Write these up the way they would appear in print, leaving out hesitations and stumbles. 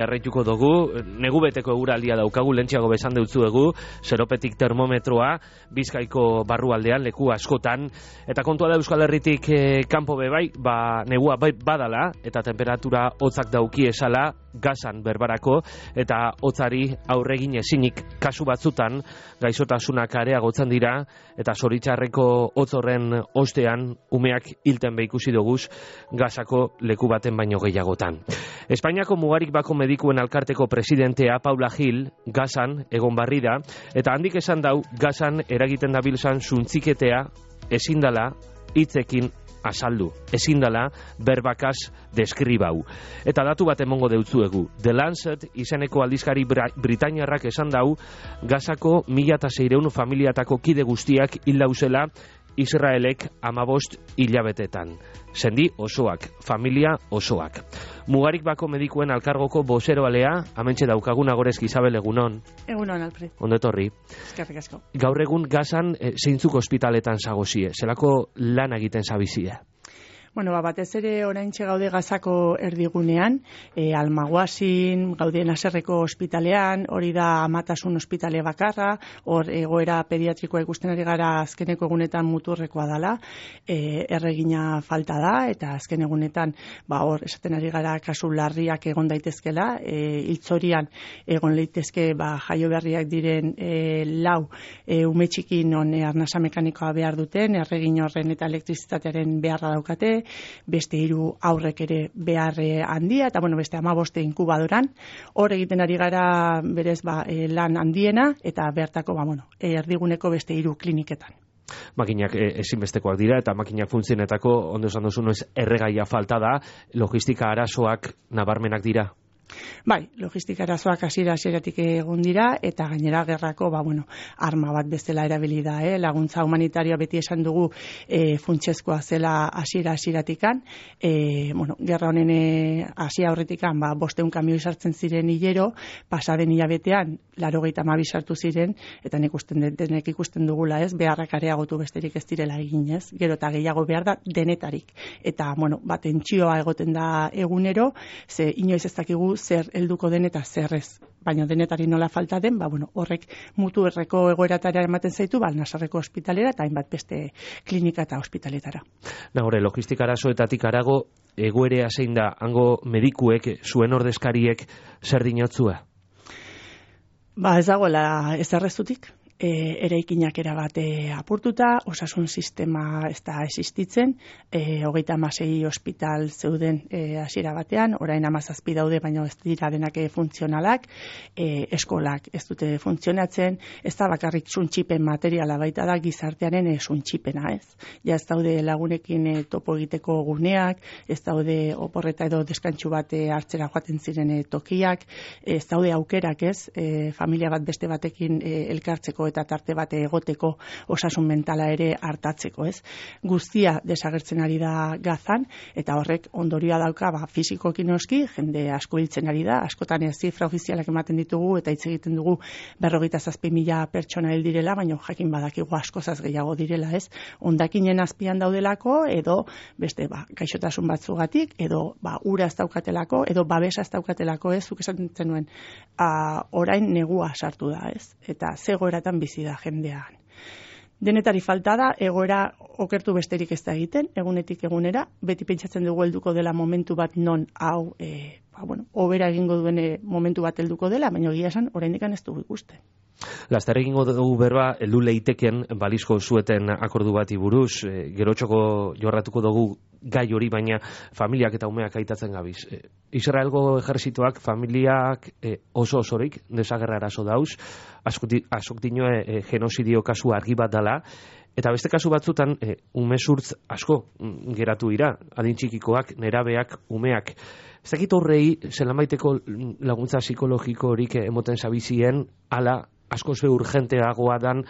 Erraituko dugu, negu beteko eguraldia daukagu, lentxeago besan deutzuegu, zeropetik termometroa, Bizkaiko barrualdean, leku askotan, eta kontua da Euskal Herritik kanpo bebai, negua badala, eta temperatura hotzak dauki esala, gazan berbarako, eta hotzari aurregin ezinik kasu batzutan, gaixotasunak areagotzen dira, eta zoritxarreko hotz horren ostean, umeak hilten behikusi doguz, gazako leku baten baino gehiagotan. Espainiako mugarik bako medikuen alkarteko presidentea Paula Gil Gazan egon barri da, eta handik esan dau Gazan eragiten dabilzan suntziketea ezin dela hitzekin azaldu, ezin dela berbakaz deskribau. Eta datu bat emongo deutzuegu. The Lancet izeneko aldizkari britainiarrak esan dau Gazako 1.600 familiatako kide guztiak hil dauzela Israelek 15 hilabetetan. Sendi osoak, familia osoak. Mugarik bako medikuen alkargoko bozeroalea, amentxe daukagun Agorezki Isabel, egunon. Egunon, Alfred. Ondo etorri. Eskerrik asko. Gaur egun Gazan zeintzuk ospitaletan zagozie, zelako lan egiten zabizie? Bueno, batez ere oraintxe gaude Gazako erdigunean, Almaguasin, gaude Naserreko ospitalean, hori da Amatasun ospitale bakarra, hor egoera pediatrikoa ikusten ari gara azkeneko egunetan muturrekoa dela, erregina falta da, eta azken egunetan, hor esaten ari gara kasu larriak egon daitezkela, hiltzorian egon leitezke jaio berriak diren 4 ume txiki non arnasa mekanikoa behar duten, erregin horren eta elektrizitatearen beharra daukate, beste 3 aurrek ere behar handia, eta beste 15 inkubadoran, hor egiten ari gara berez lan handiena, eta bertako erdiguneko beste 3 kliniketan. Makinak ezinbestekoak dira, eta makinak funtzionetako, ondo esan duzu, erregaia falta da, logistika arazoak nabarmenak dira? Bai, logistika arazoak hasieratik egon dira, eta gainera gerrako, arma bat bezala erabili da, laguntza humanitarioa beti esan dugu funtsezkoa zela hasiera-hasieratikan, gerra honen hasia aurretikan, 500 kamioi sartzen ziren hilero, pasaden hilabetean 82 sartu ziren, eta denek ikusten dugula, beharrak areagotu besterik ez direla egin, gero eta gehiago behar da denetarik, eta tentsioa egoten da egunero, ze inoiz ez dakigu zer helduko den eta zer ez. Baina denetari nola falta den, horrek mutu erreko egoeratara ematen zaitu, Nasarreko ospitalera eta hainbat beste klinika eta ospitaletara. Nagore, logistika arazoetatik arago, egoerea zein da, hango medikuek, zuen ordezkariek, zer dinotzua? Ez dagoela ez errezutik. Eraikinak erabat apurtuta, osasun sistema ez da existitzen, 36 ospital zeuden hasiera batean, orain 17 daude, baina ez dira denak funtzionalak, eskolak ez dute funtzionatzen, ez da bakarrik suntxipen materiala, baita da gizartearen suntxipena, ez? Ja ez daude lagunekin topo egiteko guneak, ez daude oporreta edo deskantxu bat hartzera joaten ziren tokiak, ez daude aukerak, ez? Familia bat beste batekin elkartzeko eta tarte bat egoteko osasun mentala ere hartatzeko, ez? Guztia desagertzen ari da Gazan, eta horrek ondorioa dauka, fisikoki noski, jende asko hiltzen ari da, askotan zifra ofizialak ematen ditugu, eta hitz egiten dugu 27.000 pertsona hil direla, baina jakin badakigu askozaz gehiago direla, ez? Hondakinen azpian daudelako, edo beste gaixotasun batzugatik, edo ura ez daukatelako, edo babesa ez daukatelako, ez? Zuk esaten zenuen, orain negua sartu da, ez? Eta zegoeratan bizi da jendean. Denetari falta da, egoera okertu besterik ez da egiten, egunetik egunera, beti pentsatzen dugu helduko dela momentu bat non hau, hobera egingo duen momentu bat helduko dela, baina egia esan, oraindik ez dugu ikusten. Laster egingo dugu berba, heldu leiteken balizko zueten akordu bati buruz, gerotxoko jorratuko dugu gai hori, baina familiak eta umeak aitatzen gabiz. Israelgo ejerzituak familiak oso osorik desagerra arazo dauz, asok dinoe genozidio kasu argi bat dala, eta beste kasu batzutan umezurtz asko geratu dira, adin txikikoak, nerabeak, umeak. Ez dakit horrei, zelanbaiteko laguntza psikologiko horik emoten zabizien, ala asko ze urgenteagoa dan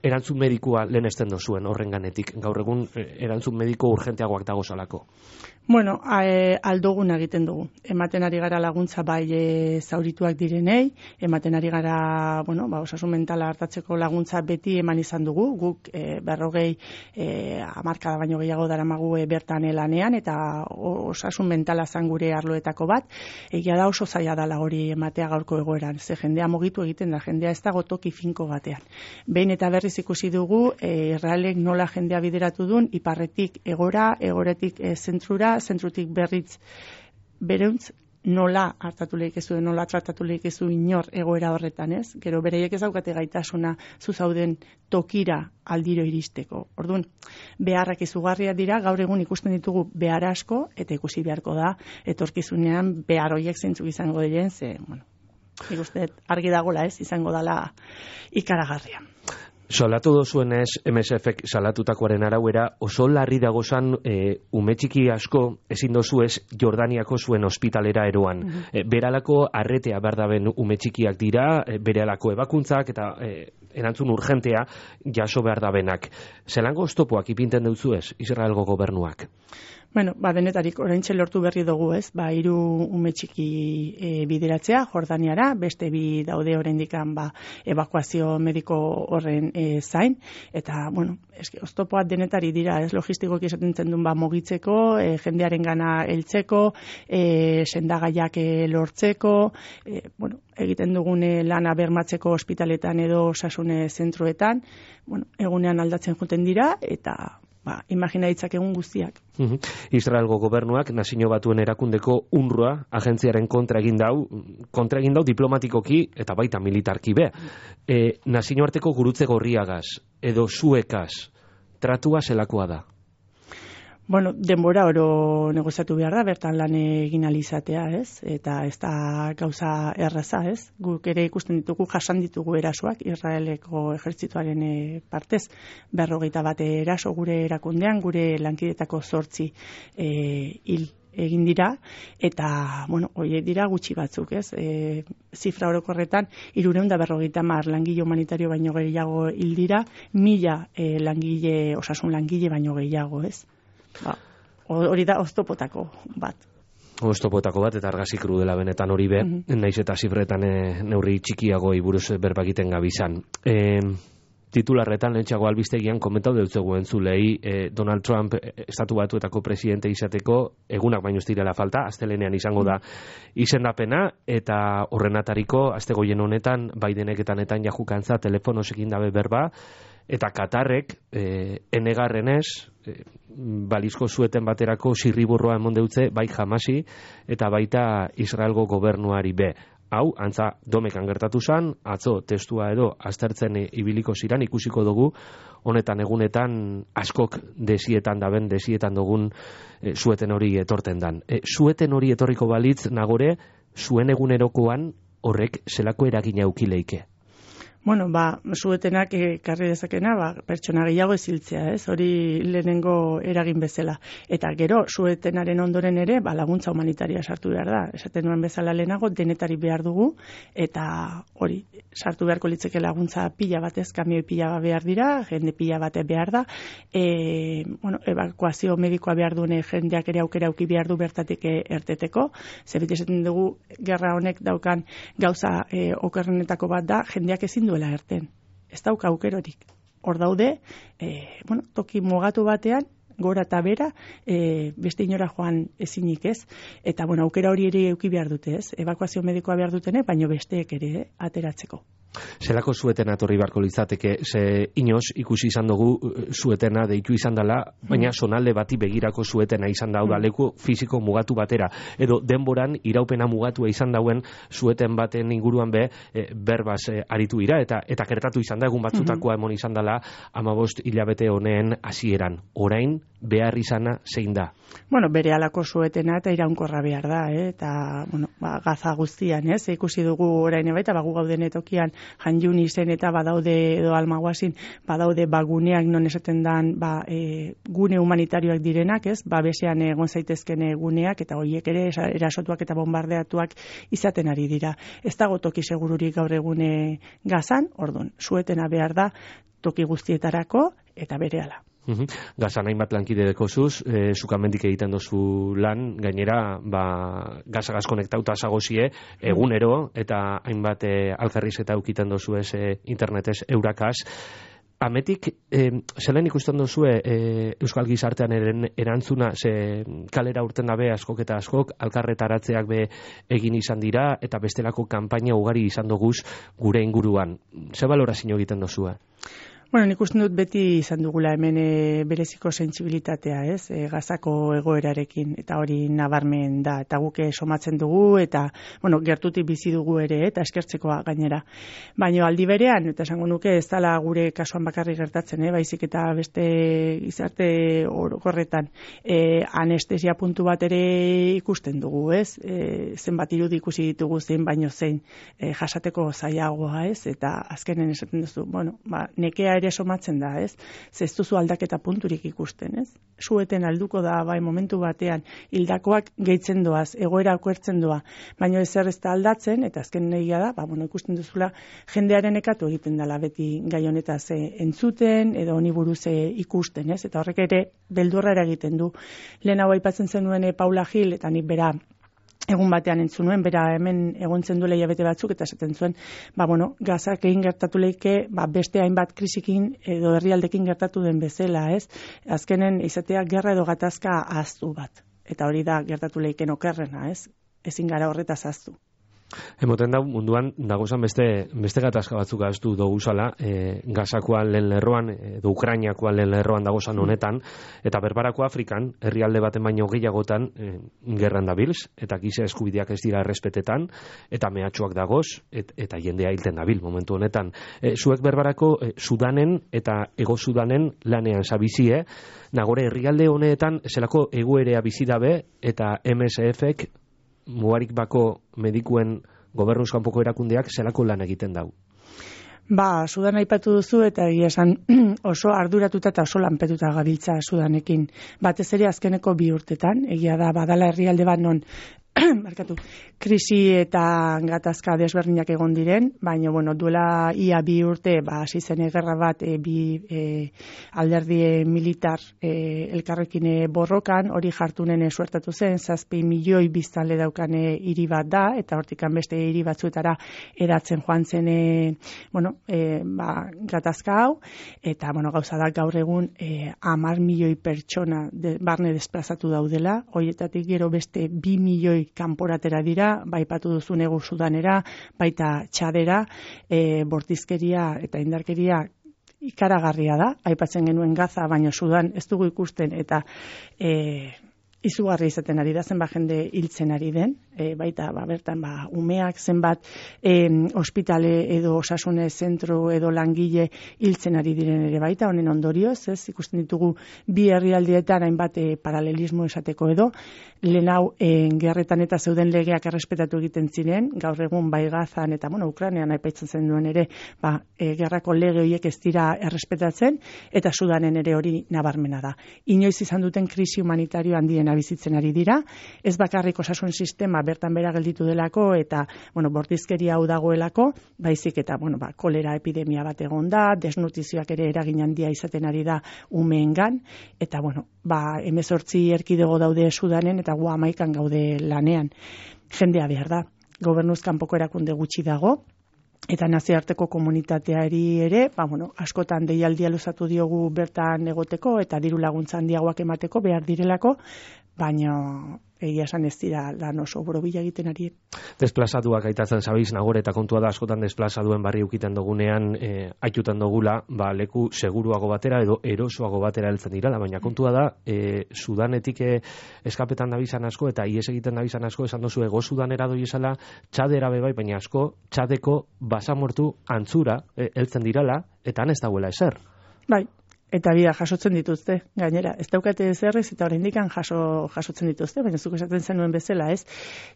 erantzun medikua lehenesten dozuen horrenganetik? Gaur egun erantzun mediko urgenteagoak dago salako. Bueno, aldogun egiten dugu. Ematen ari gara laguntza bai zaurituak direnei, ematen ari gara, osasun mentala hartatzeko laguntza beti eman izan dugu. Guk 40 hamarkada baino gehiago daramagu bertan lanean, eta osasun mentala zan gure arloetako bat. Egia da oso zaila dela hori ematea gaurko egoeran. Ze jendea mugitu egiten da, jendea ez dago toki finko batean. Behin eta berriz ikusi dugu, Israelek nola jendea bideratu duen, iparretik egora, egoretik zentrura, zentrutik berriz bereuntz, nola hartatu leikezu, nola tratatu leikezu inor egoera horretan, ez? Gero bereiek ez daukate gaitasuna zuzauden tokira aldiro iristeko. Orduan, beharrak izugarriak dira, gaur egun ikusten ditugu behar asko, eta ikusi beharko da, etorkizunean behar horiek zeintzuk izango diren, ze, nik uste argi dagola, ez? Izango dela ikaragarria. Salatu dozuenez, MSF-ek salatutakoaren arauera, oso larri dagozan ume txiki asko ezin dozuez Jordaniako zuen ospitalera eroan. Beralako arretea berdaben ume txikiak dira, beralako ebakuntzak eta erantzun urgentea jaso berdabenak. Zelango oztopoak ipinten dutzuez Israelgo gobernuak? Bueno, denetarik oraintxe lortu berri dugu, ez? 3 ume txiki bideratzea Jordaniara, beste 2 daude oraindikan ebakuazio mediko horren zain, eta eske oztopoak denetari dira, ez? Logistikoki esaten duen mugitzeko, jendearengana heltzeko, sendagaiak lortzeko, egiten dugune lana bermatzeko ospitaletan edo osasun zentroetan, egunean aldatzen joeten dira, eta imagina ditzakegun guztiak. Israelgo gobernuak Nazio Batuen erakundeko UNRWA agentziaren kontra egin dau diplomatikoki eta baita militarki be. Nazioarteko gurutze gorriagaz edo zuekaz tratua zelakoa da? Denbora oro negoziatu behar da, bertan lan egin alizatea, ez? Eta ez da gauza erraza, ez? Guk ere ikusten ditugu, jasan ditugu erasoak, Israeleko ejertzituaren partez, 41 eraso gure erakundean, gure lankidetako 8 hil egin dira, eta, horiek dira gutxi batzuk, ez? Zifra orokorretan, 350 langile humanitario baino gehiago hil dira, 1000 langile, osasun langile baino gehiago, ez? Hori da oztopotako bat. Oztopotako bat, eta argazi krudela benetan hori be, naiz eta zifretan neurri txikiagoi buruz berbakiten gabizan. Titularretan lehentxago albistegian komentau deutzegu entzulei Donald Trump estatu batuetako presidente izateko egunak baino ez direla falta, astelenean izango da izendapena, eta horrenatariko astegoien honetan Bidenek eta Netanyahu kantza telefonosekin dabe berba, eta Katarrek enegarrenez balizko zueten baterako zirriburroa emon deutze bai Hamasi eta baita Israelgo gobernuari be. Hau, antza domekan gertatu zan, atzo testua edo aztertzen ibiliko ziran, ikusiko dugu, honetan egunetan askok desietan dugun zueten hori etorten dan. Zueten hori etorriko balitz nagore, zuen egunerokoan horrek zelako eragina eukileike? Zuetenak ekarri dezakena, pertsona gehiago eziltzea, ez? Hori lehenengo eragin bezala. Eta gero, zuetenaren ondoren ere, laguntza humanitaria sartu behar da. Esaten nuen bezala lehenago, denetari behar dugu, eta hori, sartu beharko litzeke laguntza pila batez, kamioi pila bat behar dira, jende pila bate behar da, evakuazio medikoa behar dune jendeak ere aukera auki behar du bertatik erteteko, zebit esaten dugu, gerra honek daukan gauza okerrenetako bat da, jendeak ezin duela erten. Ez dauka aukerorik. Hor daude, toki mugatu batean, gora eta bera, beste inora joan ezinik, ez? Eta, aukera hori ere euki behar dute, ez? Evakuazio medikoa behar dutene, baino besteek ere ateratzeko. Zelako zueten atorri barko litzateke, ze inoz ikusi izan dugu zuetena deitu izan dela, baina sonalde bati begirako zuetena izan da, leku fisiko mugatu batera, edo denboran iraupena mugatua izan dauen zueten baten inguruan berbaz aritu ira, eta gertatu izan da, egun batzutakoa emon izan dela 15 hilabete honen hasieran. Orain, behar izana zein da? Bueno, bere alako suetena eta iraunkorra behar da, eta, bueno, gaza guztian, ikusi dugu orain baita, gu gauden tokian Hanjuni zen eta badaude, edo Almaguasin, badaude guneak non esaten dan, gune humanitarioak direnak, besean egon zaitezken guneak, eta horiek ere erasotuak eta bombardeatuak izaten ari dira. Ez dago toki segururik gaur egune Gazan, orduan, suetena behar da toki guztietarako eta berehala. Gazan hainbat lankide dekozuz, zukamendik egiten dozu lan, gainera, gazagaz konektauta zagozie, egunero, eta hainbat alkarriz eta ukiten dozu internetez eurakaz. Ametik, zelen ikusten dozue Euskal Gizartean erantzuna, ze kalera urten dabe askok eta askok, alkarretaratzeak be egin izan dira, eta bestelako kanpaina ugari izan doguz gure inguruan. Ze balorazio egiten dozue? Bueno, nik uste dut beti izan dugula hemen bereziko sentsibilitatea, Gazako egoerarekin, eta hori nabarmen da, eta guke somatzen dugu, eta, bueno, gertutik bizi dugu ere, eta eskertzekoa gainera. Baina aldi berean, eta esango nuke ez dala gure kasuan bakarrik gertatzen, baizik eta beste gizarte orokorretan anestesia puntu bat ere ikusten dugu, zenbat irudi ikusi ditugu zein baino zein jasateko zailagoa, eta azkenen esaten duzu, bueno, nekea ere somatzen da, ez duzu aldaketa punturik ikusten, Sueten alduko da, momentu batean, hildakoak gehitzen doaz, egoera okertzen doa, baina ezer ez da aldatzen, eta azken negia da, ikusten duzula, jendearen ekatu egiten dela beti gai honetaz entzuten, edo honi buruz ikusten, eta horrek ere beldurra egiten du. Lehen hau aipatzen zenuen Paula Gil, eta nik bera egun batean entzun nuen, bera hemen egontzen duela hilabete batzuk, eta esaten zuen, Gazak egin gertatu leike, beste hainbat krisikin edo herrialdekin gertatu den bezala, Azkenen izatea gerra edo gatazka ahaztu bat. Eta hori da gertatu leiken okerrena, Ezin gara horretaz ahaztu. Emoten da, munduan dagozan beste gatazka batzuk ahaztu doguzala, Gazakoa lehen lerroan, edo Ukrainiakoa lehen lerroan dagozan honetan, eta berbarako Afrikan, herrialde baten baino gehiagotan, gerran dabilz, eta giza eskubideak ez dira errespetetan, eta mehatxuak dagoz, eta jendea hilten dabil momentu honetan. Zuek berbarako Sudanen eta Ego Sudanen lanean zabizie, nagore herrialde honetan zelako egoerea bizi dabe, eta MSF-ek mugarik bako medikuen gobernuz kanpoko erakundeak zelako lan egiten dau? Sudan aipatu duzu, eta egia esan oso arduratuta eta oso lanpetuta gabiltza Sudanekin. Batez ere azkeneko 2 urtetan, egia da badala herrialde bat non krisi eta gatazka desberdinak egon diren, baina duela ia 2 urte hasi zen gerra bat bi alderdi militar elkarrekin borrokan, hori jartunen suertatu zen, 7 milioi biztanle daukan hiri bat da, eta hortikan beste hiri batzuetara eratzen joan zen gatazka hau, eta gauza da gaur egun 10 milioi pertsona barne desplazatu daudela, horietatik gero beste 2 milioi kanporatera dira, baipatu duzu Ego Sudanera, baita Txadera, bortizkeria eta indarkeria ikaragarria da, aipatzen genuen Gaza, baina Sudan ez dugu ikusten, eta izugarri izaten ari da, zenbat jende hiltzen ari den, baita bertan umeak zenbat ospitale edo osasune zentro edo langile hiltzen ari diren ere baita, honen ondorioz, ikusten ditugu bi herrialdietan hainbat paralelismo esateko edo, lehen hau gerretan eta zeuden legeak errespetatu egiten ziren, gaur egun bai Gazan eta Ukrainean aipatzen zen duen ere, gerrako lege horiek ez dira errespetatzen, eta Sudanen ere hori nabarmena da. Inoiz izan duten krisi humanitario handiena bizitzen ari dira, ez bakarrik osasun sistema bertan bera gelditu delako, eta bortizkeria hau dagoelako, baizik eta kolera epidemia bat egon da, desnutrizioak ere eragin handia izaten ari da umeengan, eta 18 erkidego daude Sudanen, eta gu 11 gaude lanean. Jendea behar da, gobernuz kanpoko erakunde gutxi dago, eta nazioarteko komunitateari ere, askotan deialdia luzatu diogu bertan egoteko, eta diru laguntza handiagoak emateko behar direlako, baina egia esan ez dira lan oso borobila egiten ari. Desplazatuak aitatzen zabiz, nagore, eta kontua da askotan desplazaduen barri ukiten dugunean, aitutan dugula, leku seguruago batera edo erosoago batera heltzen dirala, baina kontua da, Sudanetik eskapetan dabizan asko, eta ies egiten dabizan asko, esan dozu Ego Sudanera doiezala, Txadera bebai, baina asko, Txadeko basamortu antzura heltzen dirala, eta han ez dagoela ezer. Bai. eta bida jasotzen dituzte, gainera, ez daukate ezerrez eta oraindikan jasotzen dituzte, baina zuk esaten zenuen bezala, ez?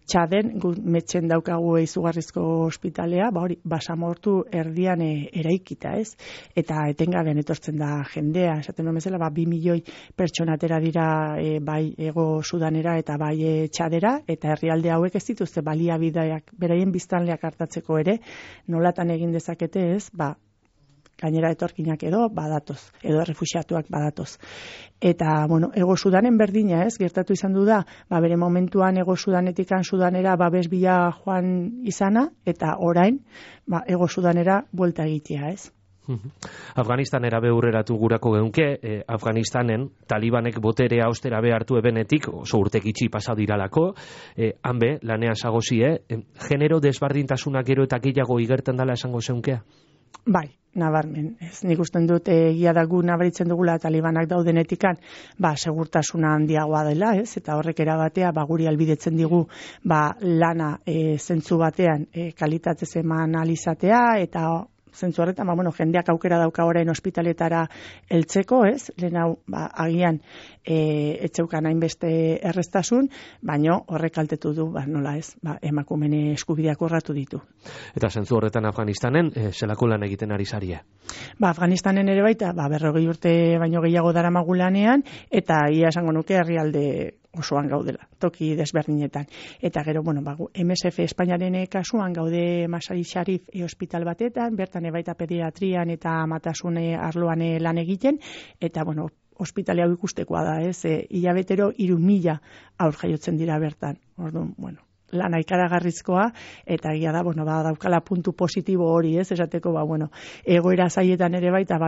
Txaden, metxen daukagu izugarrizko ospitalea, hori, basamortu erdian eraikita, ez? Eta etengabean etortzen da jendea, esaten nuen bezala, 2 milioi pertsonatera dira bai Ego Sudanera eta bai Txadera, eta herrialde hauek ez dituzte baliabideak beraien biztanleak hartatzeko ere, nolatan egin dezakete, ez? Gainera etorkinak edo badatoz, edo refuxiatuak badatoz. Eta, Ego Sudanen berdina, ez, gertatu izan du da, bere momentuan Ego Sudanetikan Sudanera babes bila joan izana, eta orain, Ego Sudanera buelta egitea, ez. Afganistanera behurreratu gurako geunke, Afganistanen talibanek boterea austera behartu ebenetik, oso urtek itxi pasadiralako, hanbe, lanean sagozie, genero desbardintasunak gero eta gehiago igerten dela esango zeunkea? Bai, nabarmen. Nik usten dut egia da gu nabaritzen dugula talibanak daudenetikan, segurtasuna handiagoa dela, ez? Eta horrek erabatea guri albidetzen digu lana zentzu batean kalitatez eman alizatea eta zentzu horretan, jendeak aukera dauka orain ospitaletara heltzeko, ez? Lehen hau, agian etxeukan hainbeste erreztasun, baino horrek kaltetu du, nola ez, emakumeen eskubideak urratu ditu. Eta zentzu horretan Afganistanen, zelako lan egiten ari zarie? Afganistanen ere baita, 40 urte baino gehiago daramagu lanean, eta ia esango nuke herrialde osoan gaudela, toki desberdinetan. Eta gero, MSF Espainiaren kasuan gaude Masari Sharif hospital batetan, bertan baita pediatrian eta amatasune arloan lan egiten, eta, ospitale hau ikustekoa da, ez? Hilabetero 3.000 aur jaiotzen dira bertan. Orduan, lana ikaragarrizkoa, eta egia da, daukala puntu positibo hori, ez? Esateko, egoera zaietan ere baita,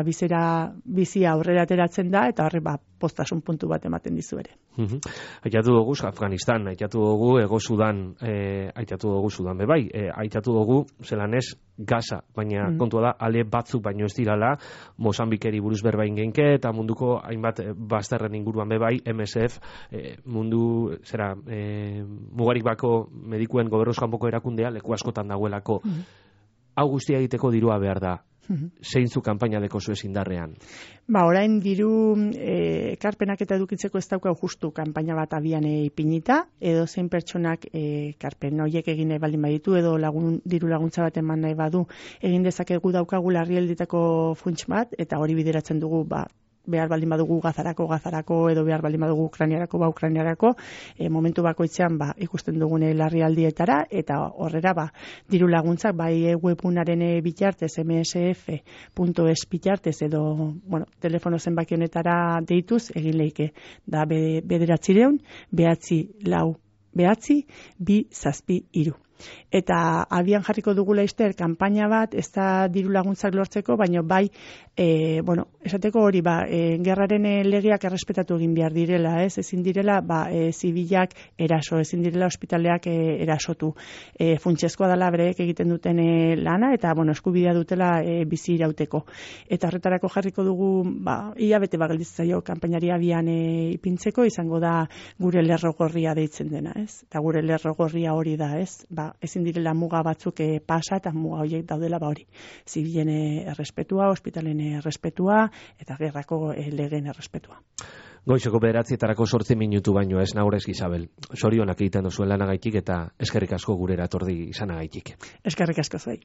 bizia aurrera ateratzen da, eta horre, postasun puntu bat ematen dizu ere. Aitatu dugu Afganistan, aitatu dugu Ego Sudan, aitatu dugu Sudan bebai, aitatu dugu zelan ez Gaza, baina kontua da, ale batzuk baino ez dirala, Mozambikeri buruz berbain genke, eta munduko hainbat bazterren inguruan bebai, MSF, mundu, mugarik bako medikuen gobernoz kanpoko erakundea, leku askotan dagoelako. Hau guztia egiteko dirua behar da. Zeintzu kanpaina deko zuez indarrean? Orain diru ekarpenak eta edukitzeko ez daukau justu kanpaina bat abian ipinita, edo zein pertsonak ekarpen horiek egin nahi baldin baditu, edo diru laguntza bat eman nahi badu, egin dezakegu daukagu larrialditako funts bat, eta hori bideratzen dugu behar baldin badugu gazarako, edo behar baldin badugu ukrainiarako, momentu bakoitzean ikusten dugune larrialdietara, eta horrera diru laguntzak bai webunaren bitartez, msf.es bitartez, edo telefono zenbakionetara deituz, egin leike, da 900 9 2 7 3. Eta abian jarriko dugu laizter kanpaina bat, ez da diru laguntzak lortzeko, baina bai, esateko hori, gerraren legeak errespetatu egin behar direla, ez? Ezin direla, zibilak eraso, ezin direla ospitaleak erasotu. Funtsezkoa dela bereek egiten duten lana, eta, eskubidea dutela bizi irauteko. Eta horretarako jarriko dugu, hilabete gelditzen kanpainari abian ipintzeko, izango da gure lerro gorria deitzen dena, ez? Eta gure lerro gorria hori da, ez? Ezin direla muga batzuk pasa, eta muga horiek daudela hori. Zibilen errespetua, ospitalen errespetua, eta gerrako legeen errespetua. Goizeko 9:00 8 minutu baino ez Naurez Isabel. Zorionak egiten duzuen lanagaitik eta eskerrik asko gurera etorri izanagaitik. Eskerrik asko zuei.